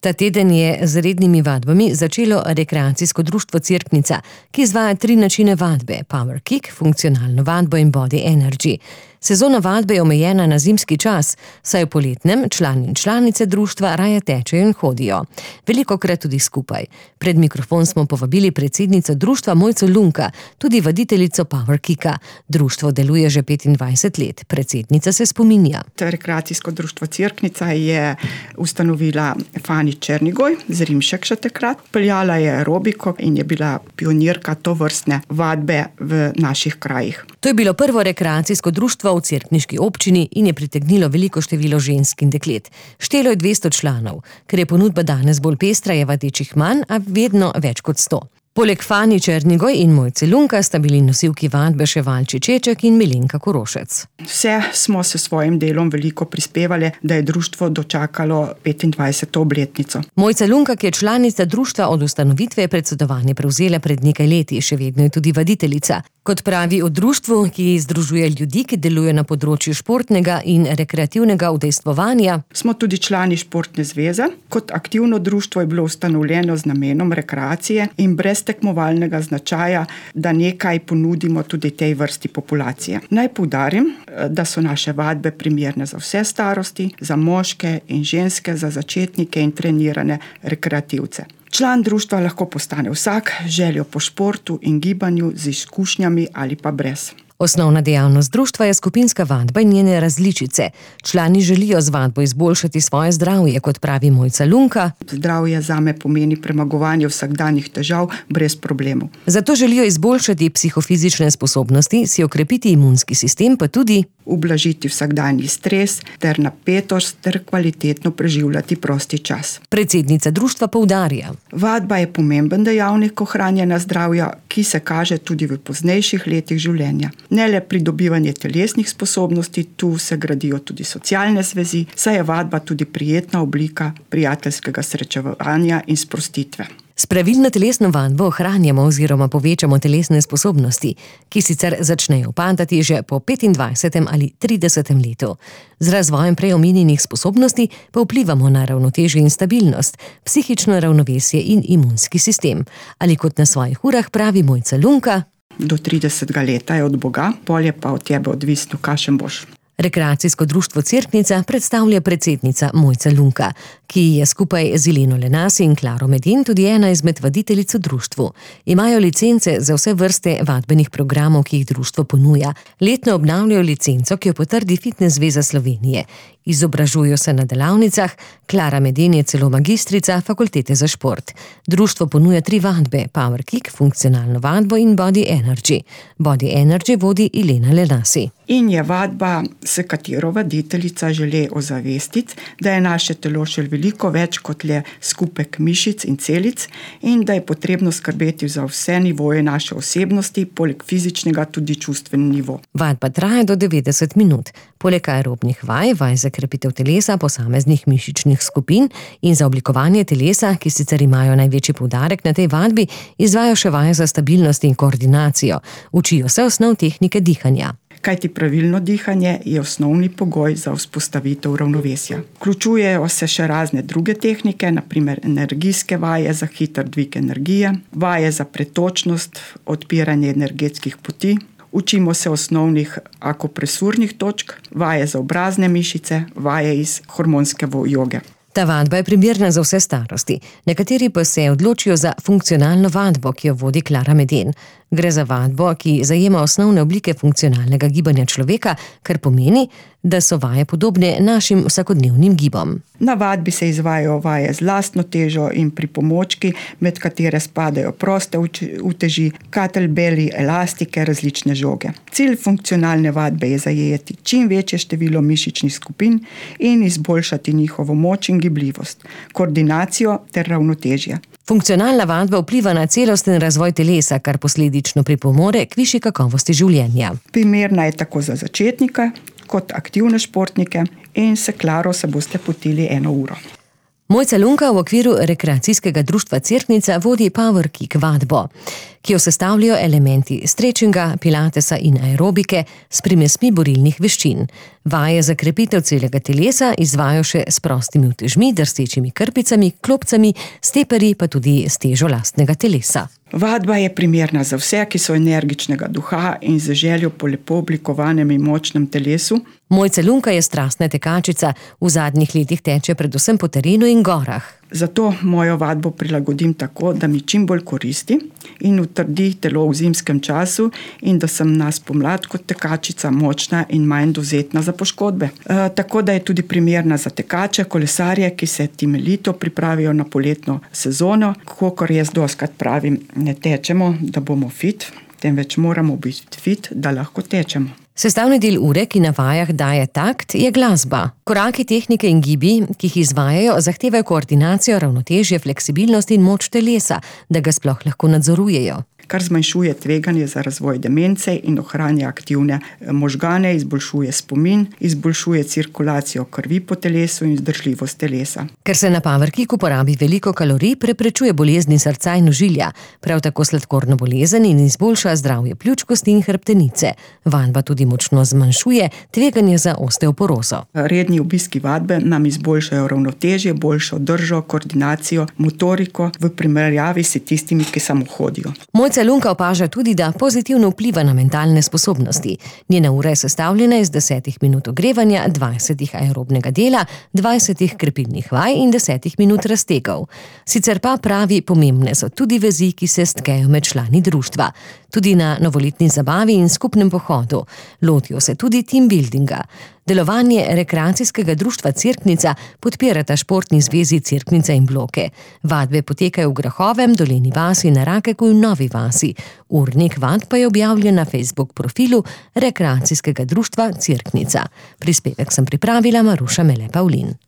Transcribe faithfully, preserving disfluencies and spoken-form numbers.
Ta teden je z rednimi vadbami začelo rekreacijsko društvo Cerknica, ki izvaja tri načine vadbe: Power Kick, funkcionalno vadbo in Body Energy. Sezona vadbe je omejena na zimski čas, saj v poletnem člani in članice društva raje tečejo in hodijo. Velikokrat tudi skupaj. Pred mikrofon smo povabili predsednico društva Mojco Lunka, tudi vaditeljico Power Kicka. Društvo deluje že petindvajset let. Predsednica se spominja. Rekreacijsko društvo Cerknica je ustanovila Fani Černigoj, z Rimšek še takrat. Peljala je aerobiko in je bila pionirka tovrstne vadbe v naših krajih. To je bilo prvo rekreacijsko društvo v cerkniški občini in je pritegnilo veliko število žensk in deklet. Štelo je dvesto članov. Ker je ponudba danes bolj pestra, je vadečih manj, a vedno več kot sto. Poleg Fani Černigoj in Mojce Lunka sta bili nosilki vadbe še Valči Čeček in Milenka Korošec. Vse smo se svojim delom veliko prispevali, da je društvo dočakalo petindvajseto obletnico. Mojca Lunka, ki je članica društva od ustanovitve, je predsedovanje prevzela pred nekaj leti, še vedno je tudi vaditeljica. Kot pravi o društvu, ki združuje ljudi, ki delujejo na področju športnega in rekreativnega udejstvovanja. Smo tudi člani športne zveze. Kot aktivno društvo je bilo ustanovljeno z namenom rekreacije in brez tekmovalnega značaja, da nekaj ponudimo tudi tej vrsti populacije. Naj poudarim, da so naše vadbe primerne za vse starosti, za moške in ženske, za začetnike in trenirane rekreativce. Član društva lahko postane vsak, željo po športu in gibanju, z izkušnjami ali pa brez. Osnovna dejavnost društva je skupinska vadba in njene različice. Člani želijo z vadbo izboljšati svoje zdravje, kot pravi Mojca Lunka. Zdravje zame pomeni premagovanje vsakdanjih težav brez problemov. Zato želijo izboljšati psihofizične sposobnosti, si okrepiti imunski sistem, pa tudi ublažiti vsakdanji stres ter napetost ter kvalitetno preživljati prosti čas. Predsednica društva poudarja: Vadba je pomemben dejavnik ohranjanja zdravja, ki se kaže tudi v poznejših letih življenja. Ne le pridobivanje telesnih sposobnosti, tu se gradijo tudi socialne zvezi, saj je vadba tudi prijetna oblika prijateljskega srečevanja in sprostitve. S pravilno telesno vadbo ohranjamo oziroma povečamo telesne sposobnosti, ki sicer začnejo upadati že po petindvajsetem ali tridesetem letu. Z razvojem prej omenjenih sposobnosti pa vplivamo na ravnotežje in stabilnost, psihično ravnovesje in imunski sistem. Ali kot na svojih urah pravi Mojca Lunka: Do tridesetega leta je od Boga, pol je pa od tebe odvisno, kakšen boš. Rekreacijsko društvo Cerknica predstavlja predsednica Mojca Lunka, ki je skupaj z Ileno Lenasi in Klaro Medin tudi ena izmed vaditeljic v društvu. Imajo licence za vse vrste vadbenih programov, ki jih društvo ponuja. Letno obnavljajo licenco, ki jo potrdi Fitnes zveza Slovenije. Izobražujo se na delavnicah, Klara Medin je celo magistrica fakultete za šport. Društvo ponuja tri vadbe: Power Kick, funkcionalno vadbo in Body Energy. Body Energy vodi Ilena Lenasi. In je vadba, s katero vaditeljica želi ozavestiti, da je naše telo še veliko več kot le skupek mišic in celic in da je potrebno skrbeti za vse nivoje naše osebnosti, poleg fizičnega tudi čustveni nivo. Vadba traja do devetdeset minut. Poleg aerobnih vaj, vaj za krepitev telesa posameznih mišičnih skupin in za oblikovanje telesa, ki sicer imajo največji poudarek na tej vadbi, izvajo še vaje za stabilnost in koordinacijo. Učijo se osnov tehnike dihanja. Kajti pravilno dihanje je osnovni pogoj za vzpostavitev ravnovesja. Vključujejo se še razne druge tehnike, na primer energijske vaje za hiter dvig energije, vaje za pretočnost, odpiranje energetskih poti. Učimo se osnovnih akupresurnih točk, vaje za obrazne mišice, vaje iz hormonske joge. Ta vadba je primerna za vse starosti. Nekateri pa se odločijo za funkcionalno vadbo, ki jo vodi Klara Medin. Gre za vadbo, ki zajema osnovne oblike funkcionalnega gibanja človeka, kar pomeni, da so vaje podobne našim vsakodnevnim gibom. Na vadbi se izvajajo vaje z lastno težo in pripomočki, med katere spadajo proste uteži, kettlebelli, elastike, različne žoge. Cilj funkcionalne vadbe je zajeti čim večje število mišičnih skupin in izboljšati njihovo moč in gibljivost, koordinacijo ter ravnotežje. Funkcionalna vadba vpliva na celosten razvoj telesa, kar posledično pripomore k višji kakovosti življenja. Primerna je tako za začetnike kot aktivne športnike in se Klaro se boste potili eno uro. Mojca Lunka v okviru rekreacijskega društva Cerknica vodi Power Kick vadbo. ki jo sestavljajo elementi stretchinga, pilatesa in aerobike s primesmi borilnih veščin. Vaje za krepitev celega telesa izvajajo še s prostimi utežmi, drsečimi krpicami, klopcami, steperji pa tudi s težo lastnega telesa. Vadba je primerna za vse, ki so energičnega duha in z željo po lepo oblikovanem in močnem telesu. Mojca Lunka je strastna tekačica, v zadnjih letih teče predvsem po terenu in gorah. Zato mojo vadbo prilagodim tako, da mi čim bolj koristi in utrdi telo v zimskem času in da sem na spomlad kot tekačica močna in manj dovzetna za poškodbe. E, tako da je tudi primerna za tekače, kolesarje, ki se temeljito pripravijo na poletno sezono. Kakor jaz dostikrat pravim, ne tečemo, da bomo fit, temveč moramo biti fit, da lahko tečemo. Sestavni del ure, ki na vajah daje takt, je glasba. Koraki, tehnike in gibi, ki jih izvajajo, zahtevajo koordinacijo, ravnotežje, fleksibilnost in moč telesa, da ga sploh lahko nadzorujejo. Kar zmanjšuje tveganje za razvoj demence in ohranja aktivne možgane, izboljšuje spomin, izboljšuje cirkulacijo krvi po telesu in vzdržljivost telesa. Ker se na powerkicku porabi veliko kalorij, preprečuje bolezni srca in ožilja, prav tako sladkorno bolezen in izboljša zdravje pljuč, kosti in hrbtenice. Vadba tudi močno zmanjšuje tveganje za osteoporozo. Redni obiski vadbe nam izboljšajo ravnotežje, boljšo držo, koordinacijo, motoriko v primerjavi s tistimi, ki samo hodijo. Mojca Lunka opaža tudi, da pozitivno vpliva na mentalne sposobnosti. Njena ura je sestavljena iz desetih minut ogrevanja, dvajsetih aerobnega dela, dvajsetih krepilnih vaj in desetih minut raztegov. Sicer pa pravi, pomembne so tudi vezi, ki se stkejo med člani društva. Tudi na novoletni zabavi in skupnem pohodu. Lotijo se tudi team buildinga. Delovanje rekreacijskega društva Cerknica podpirata športni zvezi Cerknica in Bloke. Vadbe potekajo v Grahovem, Dolenji vasi, na Rakeku in Novi vasi. Urnik vadb pa je objavljen na Facebook profilu rekreacijskega društva Cerknica. Prispevek sem pripravila Maruša Mele Pavlin.